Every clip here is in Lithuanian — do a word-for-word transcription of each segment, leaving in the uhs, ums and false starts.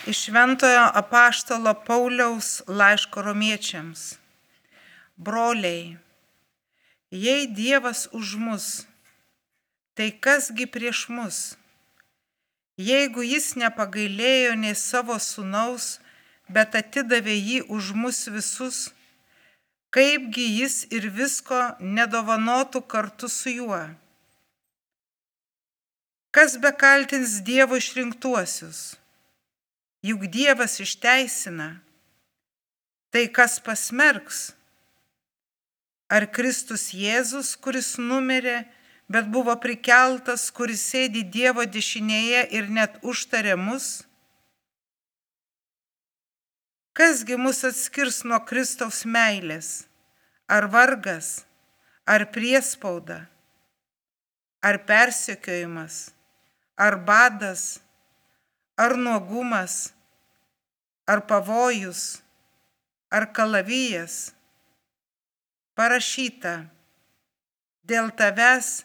Iš Šventojo apaštalo Pauliaus laiško Romiečiams. Broliai, jei Dievas už mus, tai kasgi prieš mus? Jeigu jis nepagailėjo nei savo sūnaus, bet atidavė jį už mus visus, kaipgi jis ir visko nedovanotų kartu su juo? Kas bekaltins Dievo išrinktuosius? Juk Dievas išteisina. Tai kas pasmerks? Ar Kristus Jėzus, kuris numirė, bet buvo prikeltas, kuris sėdi Dievo dešinėje ir net užtarė mus? Kasgi mus atskirs nuo Kristaus meilės? Ar vargas, ar priespauda, ar persekiojimas, ar badas, ar nuogumas, ar pavojus, ar kalavijas? Parašyta, dėl tavęs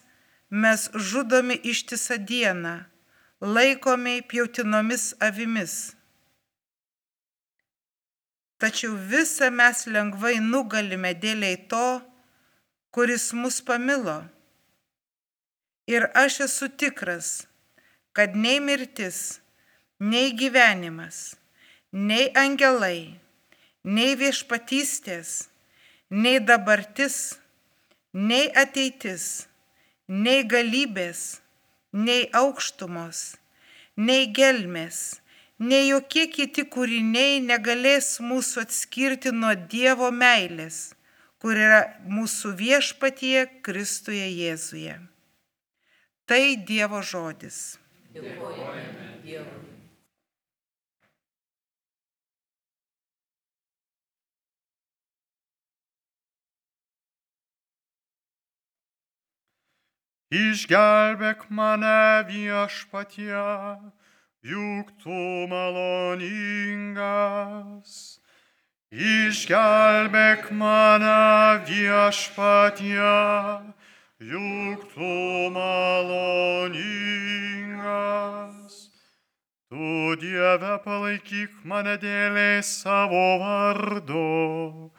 mes žudomi ištisą dieną, laikomi pjautinomis avimis. Tačiau visą mes lengvai nugalime dėliai to, kuris mus pamilo. Ir aš esu tikras, kad nei mirtis, nei gyvenimas, nei angelai, nei viešpatystės, nei dabartis, nei ateitis, nei galybės, nei aukštumos, nei gelmės, nei jokie kiti kūriniai negalės mūsų atskirti nuo Dievo meilės, kur yra mūsų viešpatyje Kristuje Jėzuje. Tai Dievo žodis. Dėkojame Dievui. Išgelbėk mane viešpatie, juk tu maloningas. Išgelbėk mane viešpatie, juk tu maloningas. Tu, Dieve, palaikyk mane dėliai savo vardo,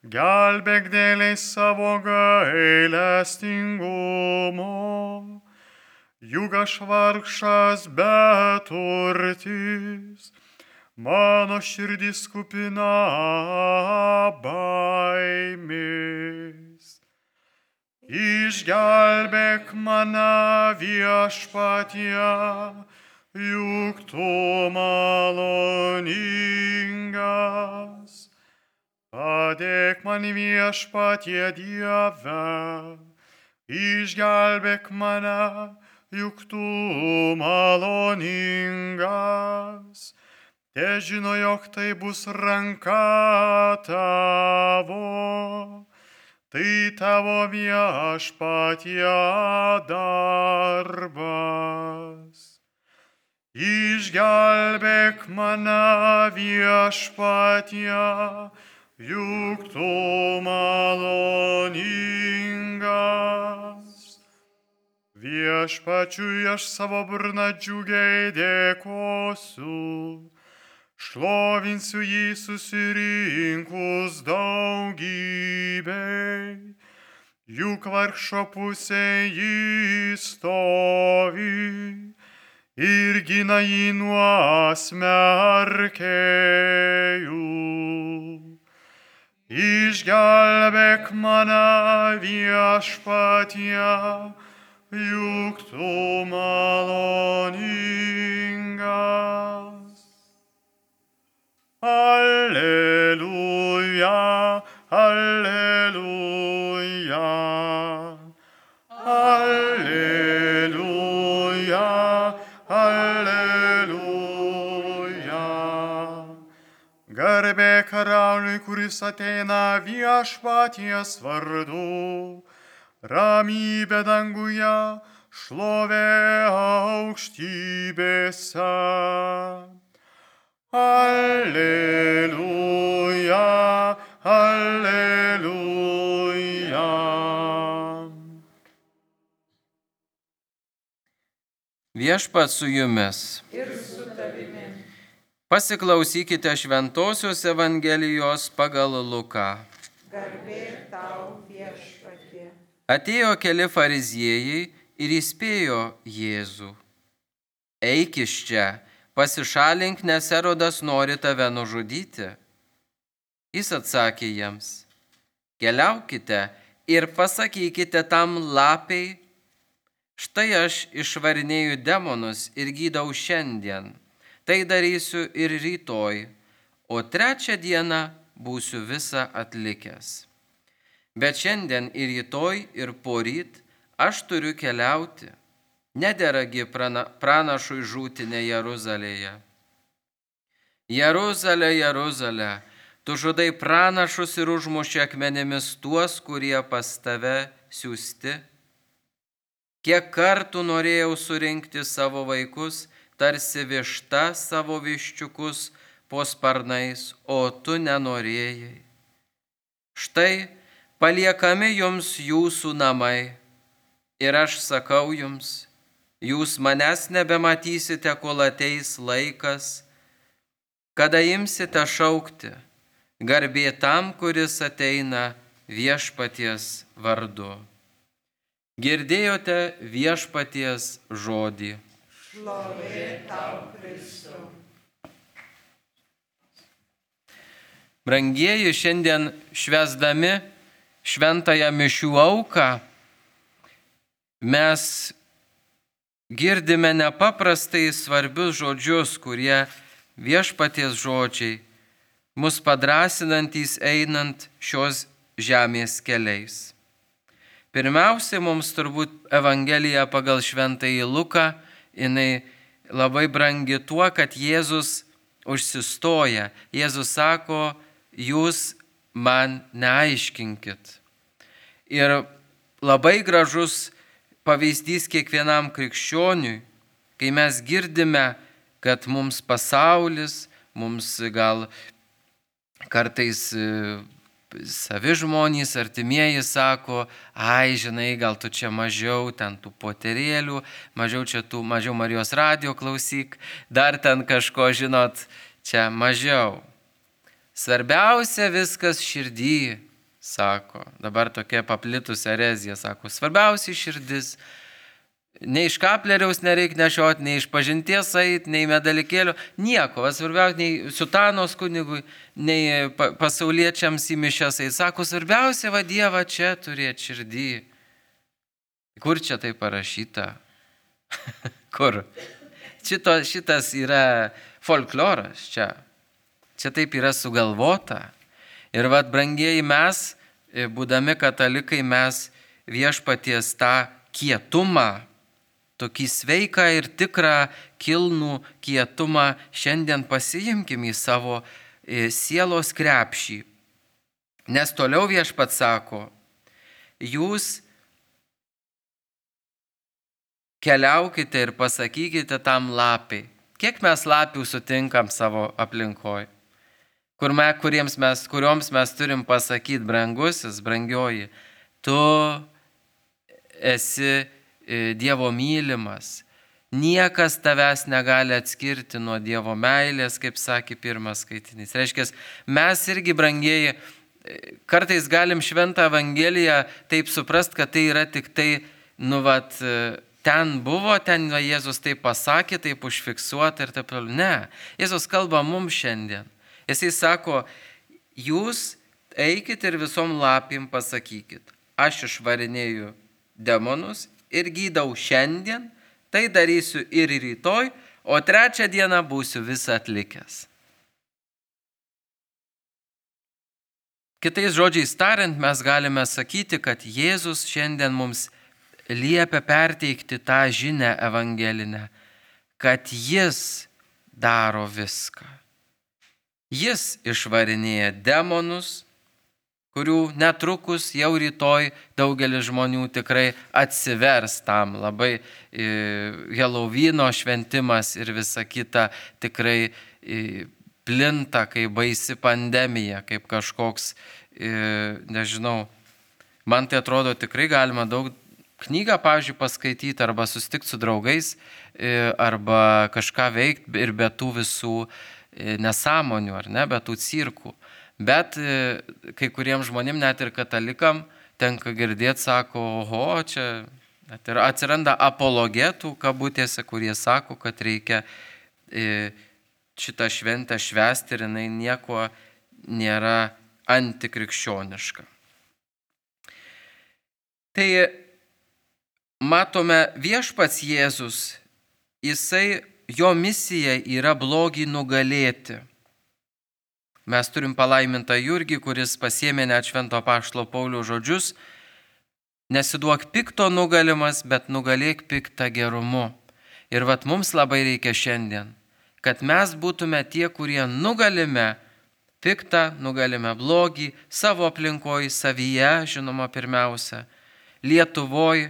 gelbėk dėliai savo gailestingumo. Juk aš vargšas beturtis, mano širdis kupina baimės. Išgelbėk mane viešpatie, juk tu maloningas. Padėk man viešpatie Dieve, išgelbėk mane, juk tu maloningas. Te žino, jog tai bus ranka tavo, tai tavo viešpatie darbas. Išgelbėk mane viešpatie, juk tu maloningas. Viešpačiui aš savo burną džiugiai dėkosiu, šlovinsiu jį susirinkus daugybei, juk vargšo pusėje jį stovi ir gina jį nuo smerkėjų. Išgelbėk mane viešpatie, juk tu maloningas. Alleluja, alleluja, alleluja, alleluja. Garbė karaliui, kuris ateina viešpaties vardu, ramybė danguje, šlovė aukštybėse. Alleluja, alleluja. Viešpats su jumis. Ir su tavimi. Pasiklausykite Šventosios Evangelijos pagal Luką. Garbė tau viešpatie. Atėjo keli fariziejai ir įspėjo Jėzų. Eik iš čia, pasišalink, nes Erodas nori tave nužudyti. Jis atsakė jiems: keliaukite ir pasakykite tam lapei, štai aš išvarinėju demonus ir gydau šiandien. Tai darysiu ir rytoj, o trečią dieną būsiu visą atlikęs. Bet šiandien ir rytoj ir poryt aš turiu keliauti. Nederagi prana, pranašui žūti ne Jeruzalėje. Jeruzalė, Jeruzalė, tu žudai pranašus ir užmuši akmenėmis tuos, kurie pas tave siųsti. Kiek kartų norėjau surinkti savo vaikus, tarsi višta savo viščiukus po sparnais, o tu nenorėjai. Štai paliekami jums jūsų namai, ir aš sakau jums, jūs manęs nebematysite, kol ateis laikas, kada imsite šaukti: garbė tam, kuris ateina viešpaties vardu. Girdėjote viešpaties žodį. Šlovė tau, Kristau. Brangieji, šiandien švęsdami šventąją mišių auką, mes girdime nepaprastai svarbius žodžius, kurie viešpaties žodžiai, mus padrasinantys einant šios žemės keliais. Pirmiausia, mums turbūt Evangelija pagal šventąjį Luką, jinai labai brangi tuo, kad Jėzus užsistoja. Jėzus sako: jūs man neaiškinkit. Ir labai gražus pavyzdys kiekvienam krikščioniui, kai mes girdime, kad mums pasaulis, mums gal kartais savi žmonės, artimieji sako: ai, žinai, gal tu čia mažiau ten tų poterėlių, mažiau čia tų, mažiau Marijos radijo klausyk, dar ten kažko, žinot, čia mažiau. Svarbiausia viskas širdį, sako. Dabar tokia paplitusi erezija, sako, svarbiausia širdis. Nei iš kapleriaus nereik nešiot, nei iš pažinties ait, nei medalikėlio, nieko. Svarbiausia, nei sutanos kunigui, nei pasauliečiams į mišias ait. Sako, svarbiausia va Dievą čia turėti širdį. Kur čia tai parašyta? Kur? Šito, šitas yra folkloras čia. Čia taip yra sugalvota. Ir vat, brangieji, mes, būdami katalikai, mes viešpaties tą kietumą, tokį sveiką ir tikrą kilnų kietumą šiandien pasiimkim į savo sielos krepšį. Nes toliau viešpats sako: jūs keliaukite ir pasakykite tam lapiai. Kiek mes lapių sutinkam savo aplinkoje? Kur me, kuriems mes, kurioms mes turim pasakyti: brangusis, brangioji, tu esi Dievo mylimas. Niekas tavęs negali atskirti nuo Dievo meilės, kaip sakė pirmas skaitinys. Reiškia, mes irgi, brangieji, kartais galim šventą Evangeliją taip suprast, kad tai yra tik tai, nu vat, ten buvo, ten va, Jėzus taip pasakė, taip užfiksuota ir taip toliau. Ne, Jėzus kalba mums šiandien. Jisai sako: jūs eikit ir visom lapim pasakykit, aš išvarinėju demonus ir gydau šiandien, tai darysiu ir rytoj, o trečią dieną būsiu visą atlikęs. Kitais žodžiais tariant, mes galime sakyti, kad Jėzus šiandien mums liepia perteikti tą žinią evangelinę, kad jis daro viską. Jis išvarinėja demonus, kurių netrukus jau rytoj daugelis žmonių tikrai atsivers tam. Labai e, Helovyno šventimas ir visa kita tikrai e, plinta kaip baisi pandemija, kaip kažkoks, e, nežinau, man tai atrodo tikrai galima daug knygą, pavyzdžiui, paskaityti arba susitikti su draugais, e, arba kažką veikti ir be tų visų nesąmonių, ar ne, be tų cirkų. Bet kai kuriems žmonėm, net ir katalikam, tenka girdėti, sako, oho, čia net ir atsiranda apologetų kabutėse, kurie sako, kad reikia šitą šventę švęsti ir jinai nieko nėra antikrikščioniška. Tai matome, viešpats Jėzus, jisai, jo misija yra blogį nugalėti. Mes turim palaimintą Jurgį, kuris pasiėmė net švento apaštalo Pauliaus žodžius: nesiduok pikto nugalimas, bet nugalėk piktą gerumu. Ir vat mums labai reikia šiandien, kad mes būtume tie, kurie nugalime piktą, nugalime blogį savo aplinkoje, savyje, žinoma, pirmiausia, Lietuvoje.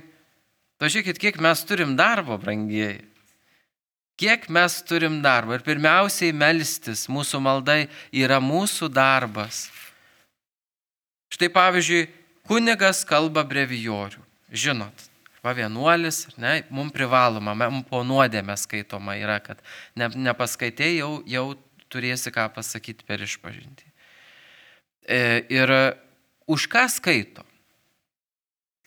Pažiūrėkit, kiek mes turim darbo, brangieji. Kiek mes turim darbo. Ir pirmiausiai melstis, mūsų maldai yra mūsų darbas. Štai pavyzdžiui, kunigas kalba brevijorių. Žinot, va vienuolis, ne, mums privaloma, mums po nuodėmę skaitoma yra, kad ne, nepaskaitėjai, jau, jau turėsi ką pasakyti per išpažintį. E, ir už ką skaito?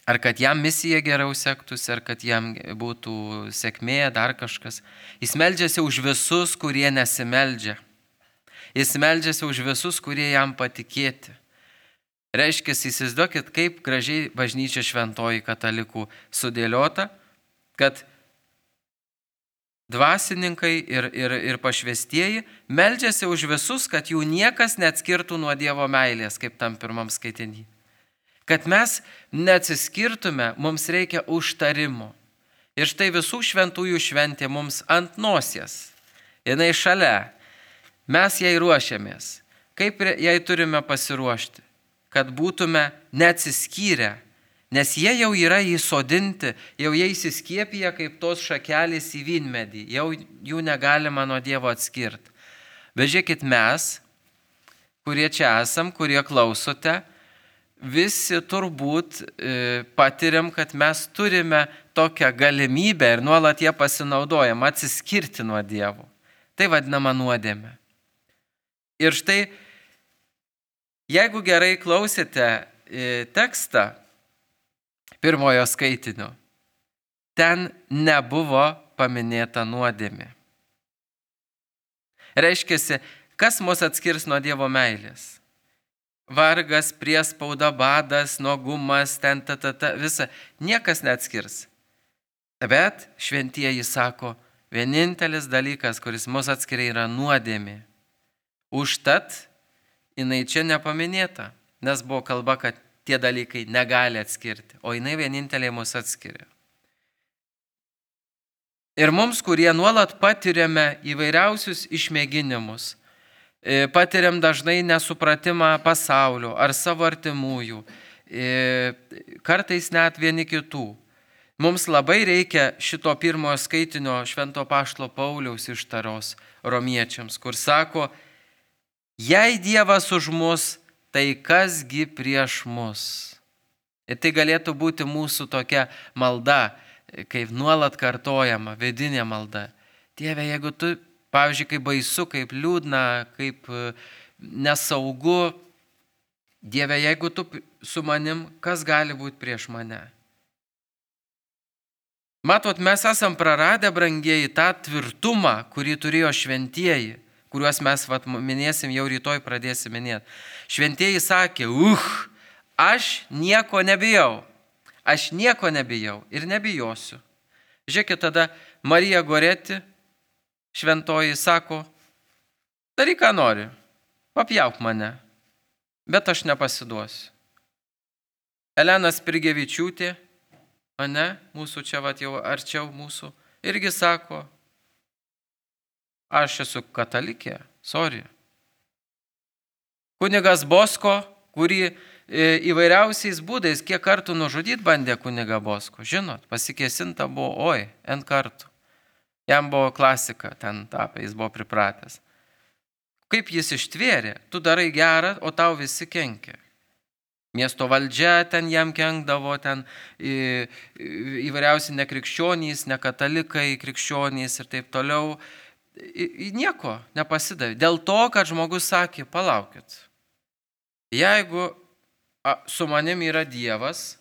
Ar kad jam misija geriau sektųsi, ar kad jam būtų sėkmė, dar kažkas. Jis meldžiasi už visus, kurie nesimeldžia. Jis meldžiasi už visus, kurie jam patikėti. Reiškia, įsivaizduokit, kaip gražiai bažnyčia šventoji katalikų sudėliota, kad dvasininkai ir, ir, ir pašvestieji meldžiasi už visus, kad jų niekas neatskirtų nuo Dievo meilės, kaip tam pirmam skaitinį. Kad mes neatsiskirtume, mums reikia užtarimo. Ir štai visų šventųjų šventė mums ant nosies. Jinai šalia. Mes jai ruošiamės. Kaip jai turime pasiruošti? Kad būtume neatsiskyrę. Nes jie jau yra įsodinti, jau jie įsiskiepija kaip tos šakelės į vynmedį. Jau jų negalima nuo Dievo atskirti. Bet žiūrėkit, mes, kurie čia esam, kurie klausote, visi turbūt e, patiriam, kad mes turime tokią galimybę ir nuolat ją pasinaudojam atsiskirti nuo Dievo. Tai vadinama nuodėmė. Ir štai, jeigu gerai klausėte e, tekstą pirmojo skaitinio, ten nebuvo paminėta nuodėmė. Reiškiasi, kas mus atskirs nuo Dievo meilės? Vargas, priespauda, badas, nuogumas, ten, ta, ta, ta, visa. Niekas neatskirs. Bet šventieji sako, vienintelis dalykas, kuris mus atskiria, yra nuodėmė. Užtat jinai čia nepaminėta, nes buvo kalba, kad tie dalykai negali atskirti, o jinai vieninteliai mus atskiria. Ir mums, kurie nuolat patiriame įvairiausius išmėginimus, patiriam dažnai nesupratimą pasaulio ar savo artimųjų, kartais net vieni kitų. Mums labai reikia šito pirmojo skaitinio švento apaštalo Pauliaus ištaros romiečiams, kur sako, jei Dievas už mus, tai kasgi prieš mus. Ir tai galėtų būti mūsų tokia malda, kaip nuolat kartojama, vidinė malda. Dieve, jeigu tu, pavyzdžiui, kaip baisu, kaip liūdna, kaip nesaugu, Dieve, jeigu tu su manim, kas gali būti prieš mane? Matot, mes esam praradę, brangieji, tą tvirtumą, kurį turėjo šventieji, kuriuos mes vat, minėsim, jau rytoj pradėsim minėti. Šventieji sakė, uh, aš nieko nebijau, aš nieko nebijau ir nebijosiu. Žiūrėkit, tada Marija Goreti, šventoji, sako, daryk, ką nori, papjauk mane, bet aš nepasiduosiu. Elena Spirgevičiūtė, ane, mūsų čia vat jau arčiau mūsų, irgi sako, aš esu katalikė, sorry. Kunigas Bosko, kurį įvairiausiais būdais, kiek kartų nužudyti bandė kunigą Bosko, žinot, pasikėsinta buvo, oi, n kartų. Jam buvo klasika ten tapę, jis buvo pripratęs. Kaip jis ištvėrė, tu darai gerą, o tau visi kenkia. Miesto valdžia ten jam kenkdavo, ten į, įvairiausi nekrikščionys, nekatalikai, krikščionys ir taip toliau. nieko nepasidavė. Dėl to, kad žmogus sakė, palaukit, jeigu su manim yra Dievas,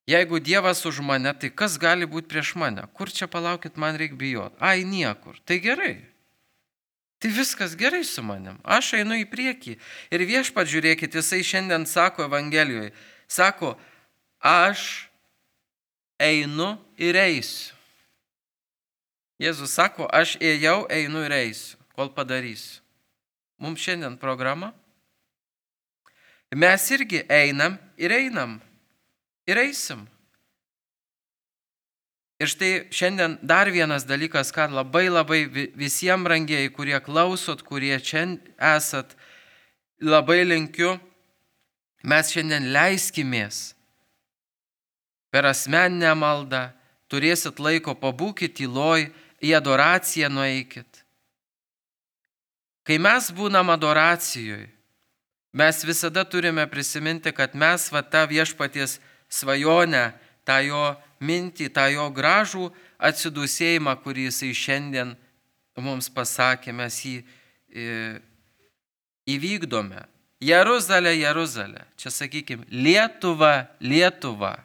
jeigu Dievas už mane, tai kas gali būti prieš mane? Kur čia palaukit, man reikia bijoti? Ai, niekur. Tai gerai. Tai viskas gerai su manim. Aš einu į priekį. Ir Viešpat, žiūrėkit, jisai šiandien sako Evangelijoje, sako, aš einu ir eisiu. Jėzus sako, aš ėjau, einu ir eisiu, kol padarysiu. Mums šiandien programa. Mes irgi einam ir einam. Ir eisim. Ir štai šiandien dar vienas dalykas, ką labai labai visiems brangieji, kurie klausot, kurie čia esat, labai linkiu, mes šiandien leiskimės per asmeninę maldą, turėsit laiko, pabūkit tyloj, į adoraciją nueikit. Kai mes būnam adoracijoje, mes visada turime prisiminti, kad mes va tą Viešpaties svajonę, tą jo mintį, tą jo gražų atsidūsėjimą, kurį jisai šiandien mums pasakė, mes jį e, įvykdome. Jeruzalė, Jeruzalė, čia sakykime, Lietuva, Lietuva.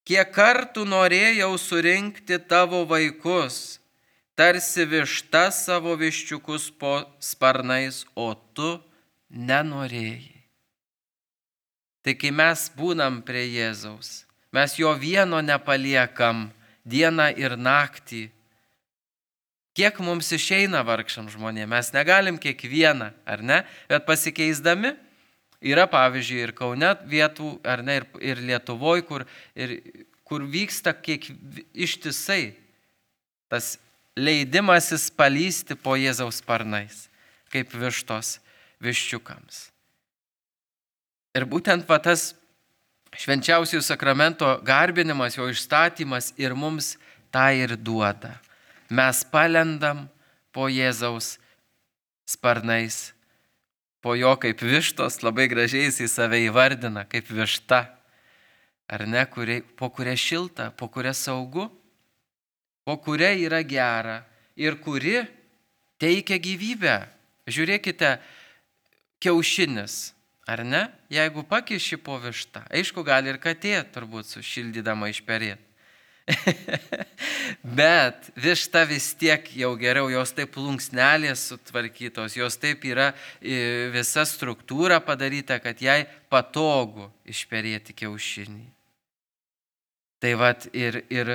Kiek kartų norėjau surinkti tavo vaikus, tarsi višta savo viščiukus po sparnais, o tu nenorėjai. Tai kai mes būnam prie Jėzaus, mes jo vieno nepaliekam dieną ir naktį. Kiek mums išeina vargšam žmonėm, mes negalim kiekvieną, ar ne, bet pasikeisdami. Yra, pavyzdžiui, ir Kaune vietų, ar ne, ir, ir Lietuvoje, kur, ir, kur vyksta kiek ištisai tas leidimasis palysti po Jėzaus sparnais, kaip vištos viščiukams. Ir būtent va, tas švenčiausiųjų sakramento garbinimas, jo išstatymas ir mums tą ir duoda. Mes palendam po Jėzaus sparnais, po jo kaip vištos, labai gražiai jis į save įvardina, kaip višta, ar ne, kurie, po kuria šilta, po kuria saugu, po kuria yra gera ir kuri teikia gyvybę. Žiūrėkite, kiaušinis, ar ne, jeigu pakiši po vištą, aišku, gali ir katė turbūt sušildydama išperėti. Bet višta vis tiek jau geriau, jos taip plunksnelės sutvarkytos, jos taip yra visa struktūra padaryta, kad jai patogu išperėti kiaušinį. Tai vat ir, ir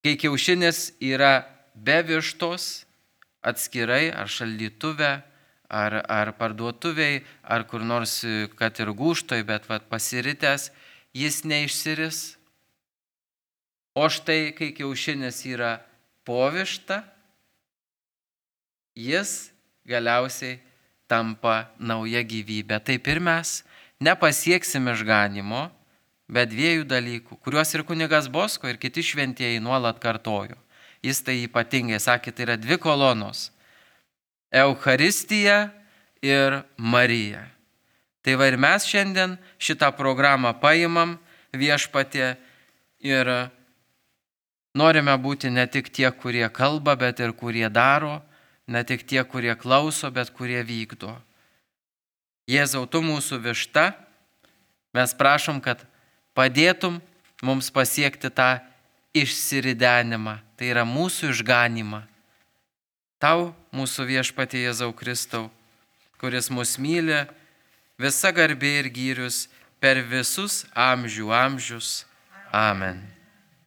kai kiaušinis yra be vištos, atskirai, ar šaldytuve, ar, ar parduotuviai, ar kur nors, kad ir gūštoj, bet vat pasiritęs, jis neišsiris. O štai, kai kiaušinis yra po višta, jis galiausiai tampa nauja gyvybė. Taip ir mes nepasieksim išganimo, bet dviejų dalykų, kuriuos ir kunigas Bosko, ir kiti šventieji nuolat kartojo. Jis tai ypatingai sakė, tai yra dvi kolonos – Eucharistija ir Marija. Tai va ir mes šiandien šitą programą paimam Viešpatie ir norime būti ne tik tie, kurie kalba, bet ir kurie daro, ne tik tie, kurie klauso, bet kurie vykdo. Jėzau, tu mūsų višta, mes prašom, kad padėtum mums pasiekti tą išsiridenimą, tai yra mūsų išganimą. Tau, mūsų Viešpatie Jėzau Kristau, kuris mus myli, visa garbė ir gyrius per visus amžių amžius. Amen.